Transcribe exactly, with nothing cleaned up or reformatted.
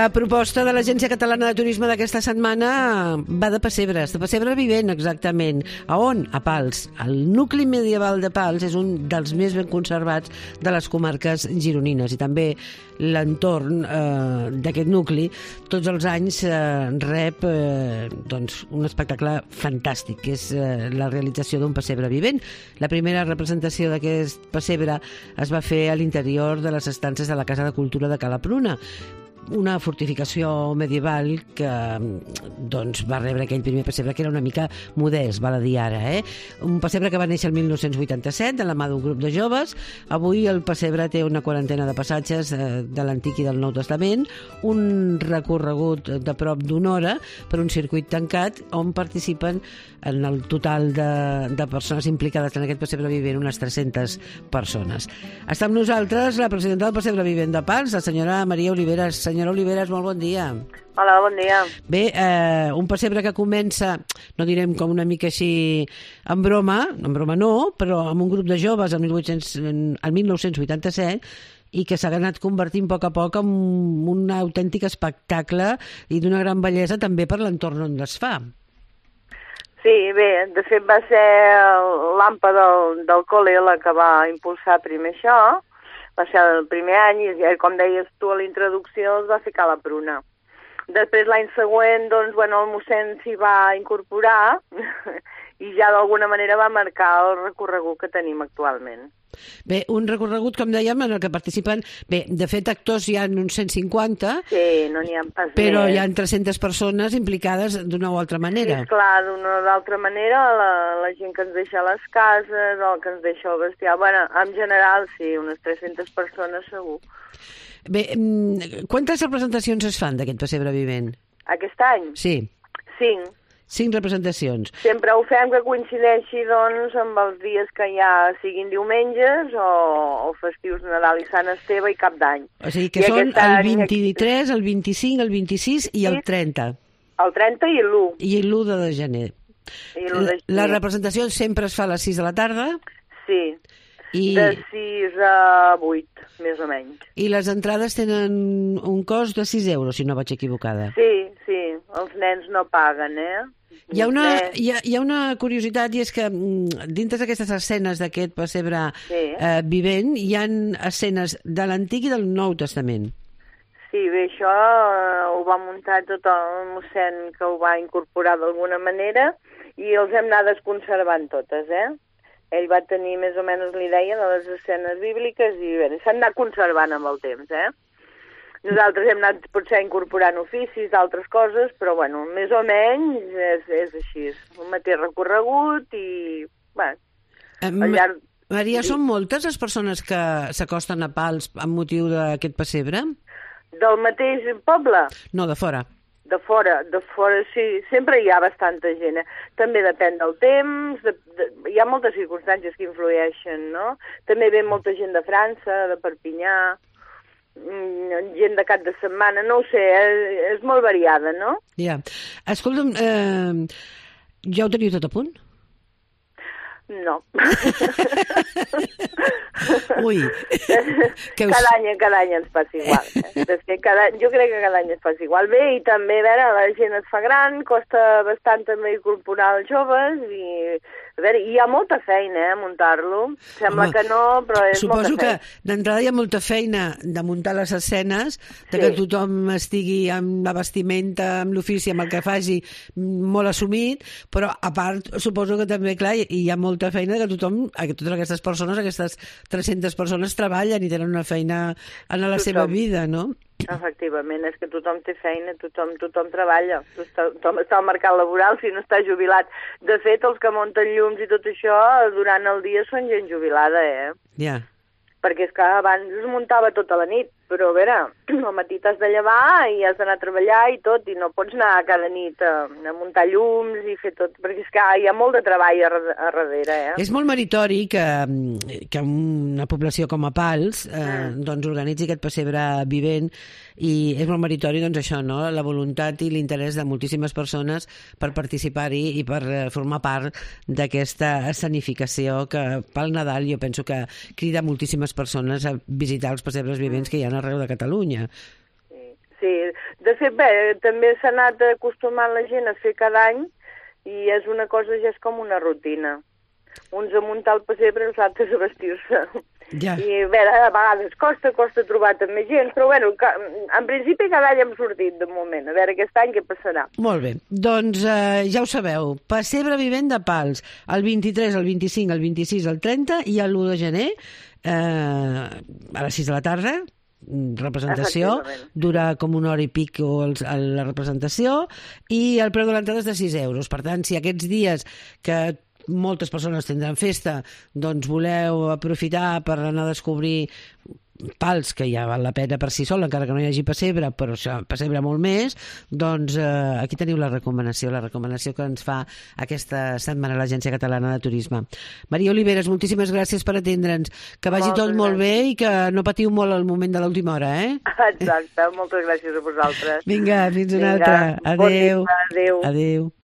La proposta de l'Agència Catalana de Turisme d'aquesta setmana va de pessebres, de pessebre vivent, exactament. A on? A Pals. El nucli medieval de Pals és un dels més ben conservats de les comarques gironines i també l'entorn eh, d'aquest nucli tots els anys eh, rep eh, doncs, un espectacle fantàstic, que és eh, la realització d'un pessebre vivent. La primera representació d'aquest pessebre es va fer a l'interior de les estances de la Casa de Cultura de Cala Pruna, una fortificació medieval que doncs, va rebre aquell primer pessebre, que era una mica modest, val a dir ara. Eh? Un pessebre que va néixer el mil nou-cents vuitanta-set de la mà d'un grup de joves. Avui el pessebre té una quarantena de passatges eh, de l'Antic i del Nou Testament, un recorregut de prop d'una hora per un circuit tancat on participen en el total de, de persones implicades en aquest pessebre vivent unes tres-centes persones. Està amb nosaltres la presidenta del pessebre vivent de Pals, la senyora Maria Oliveras. Senyora Oliveras, molt bon dia. Hola, bon dia. Bé, eh, un pessebre que comença, no direm com una mica així en broma, en broma no, però amb un grup de joves el mil nou-cents vuitanta-set i que s'ha anat convertint a poc a poc en un autèntic espectacle i d'una gran bellesa també per l'entorn on es fa. Sí, bé, de fet va ser l'AMPA del, del col·le la que va impulsar primer això. Va ser el primer any i, com deies tu a la introducció, es va fer Cala Pruna. Després, l'any següent, doncs, bueno, el mossèn s'hi va incorporar i ja d'alguna manera va marcar el recorregut que tenim actualment. Bé, un recorregut, com dèiem, en el que participen... Bé, de fet, actors hi ha uns cent cinquanta, sí, no n'hi ha pas però més. Hi ha tres-centes persones implicades d'una o altra manera. Sí, clar, d'una o d'altra manera, la, la gent que ens deixa a les cases, o que ens deixa el bestiar... Bueno, en general, sí, unes tres-centes persones segur. Bé, quantes representacions es fan d'aquest pessebre vivent? Aquest any? Sí. Cinc. Cinc representacions. Sempre ho fem que coincideixi, doncs, amb els dies que ja siguin diumenges o, o festius de Nadal i Sant Esteve i Cap d'Any. O sigui que I són el vint-i-tres, el vint-i-cinc, el vint-i-sis i el trenta. El trenta i l'u. I l'u de gener. I l'u de gener. La representació sempre es fa a les sis de la tarda? Sí. I... de sis a vuit, més o menys. I les entrades tenen un cost de sis euros, si no vaig equivocada. Sí, sí, els nens no paguen, eh? Hi ha, una, hi, ha, hi ha una curiositat, i és que dintre d'aquestes escenes d'aquest pessebre sí. eh, vivent hi ha escenes de l'Antic i del Nou Testament. Sí, bé, això eh, ho va muntar tot el mossèn que ho va incorporar d'alguna manera i els hem anat desconservant totes, eh? Ell va tenir més o menys l'idea de les escenes bíbliques i bé, s'han anat conservant amb el temps, eh? Nosaltres hem anat potser incorporant oficis, d'altres coses, però bueno, més o menys és, és així. Un mateix recorregut i... Bé, al llarg... Maria, són moltes les persones que s'acosten a Pals amb motiu d'aquest pessebre? Del mateix poble? No, de fora. De fora, de fora sí, sempre hi ha bastanta gent. Eh? També depèn del temps, de, de, hi ha moltes circumstàncies que influeixen, no? També ve molta gent de França, de Perpinyà, gent de cap de setmana, no ho sé, és, és molt variada, no? Ja. Escolta'm, eh, ja ho teniu tot a punt? No. Ui. Que us... cada, any, cada any ens passa igual. Eh? És que cada, jo crec que cada any ens passa igual. Bé, i també, a veure, la gent es fa gran, costa bastant també incorporar els joves i... A veure, hi ha molta feina, eh, muntar-lo. Sembla Home, que no, però és molta feina. Suposo que d'entrada hi ha molta feina de muntar les escenes, de sí. que tothom estigui amb la vestimenta, amb l'ofici, amb el que faci, molt assumit, però a part suposo que també, clar, hi ha molta feina que tothom, que totes aquestes persones, aquestes tres-centes persones treballen i tenen una feina en la tothom. seva vida, no? Efectivament, és que tothom té feina, tothom, tothom treballa, tothom està al mercat laboral si no està jubilat. De fet, els que munten llums i tot això, durant el dia són gent jubilada, eh? Ja. Yeah. Perquè és que abans es muntava tota la nit, però a veure, al matí t'has de llevar i has d'anar a treballar i tot, i no pots anar cada nit a, a muntar llums i fer tot, perquè és que hi ha molt de treball a, a darrere, eh? És molt meritori que, que una població com a Pals eh, mm. doncs organitzi aquest pessebre vivent, i és molt meritori, doncs, això, no? La voluntat i l'interès de moltíssimes persones per participar-hi i per formar part d'aquesta escenificació que pel Nadal jo penso que crida moltíssimes persones a visitar els pessebres vivents que hi ha arreu de Catalunya. Sí, sí. De fet, bé, també s'ha anat acostumant la gent a fer cada any i és una cosa, ja és com una rutina. Uns a muntar el pessebre i els altres a vestir-se. Ja. I a veure, a vegades costa, costa trobar també gent, però bueno, en principi cada any hem sortit de moment, a veure aquest any què passarà. Molt bé, doncs eh, ja ho sabeu, pessebre vivent de Pals, el vint-i-tres, el vint-i-cinc, el vint-i-sis, el trenta i l'u de gener, eh, a les sis de la tarda, representació, dura com una hora i pic la representació, i el preu de l'entrada és de sis euros. Per tant, si aquests dies que moltes persones tindran festa, doncs voleu aprofitar per anar a descobrir Pals, que ja val la pena per si sol, encara que no hi hagi pessebre, però pessebre molt més, doncs eh, aquí teniu la recomanació, la recomanació que ens fa aquesta setmana l'Agència Catalana de Turisme. Maria Oliveres, moltíssimes gràcies per atendre'ns, que vagi moltes tot gràcies. Molt bé i que no patiu molt al moment de l'última hora, eh? Exacte, moltes gràcies a vosaltres. Vinga, fins una Vinga, altra. Adéu. Bon dia, adéu. Adéu.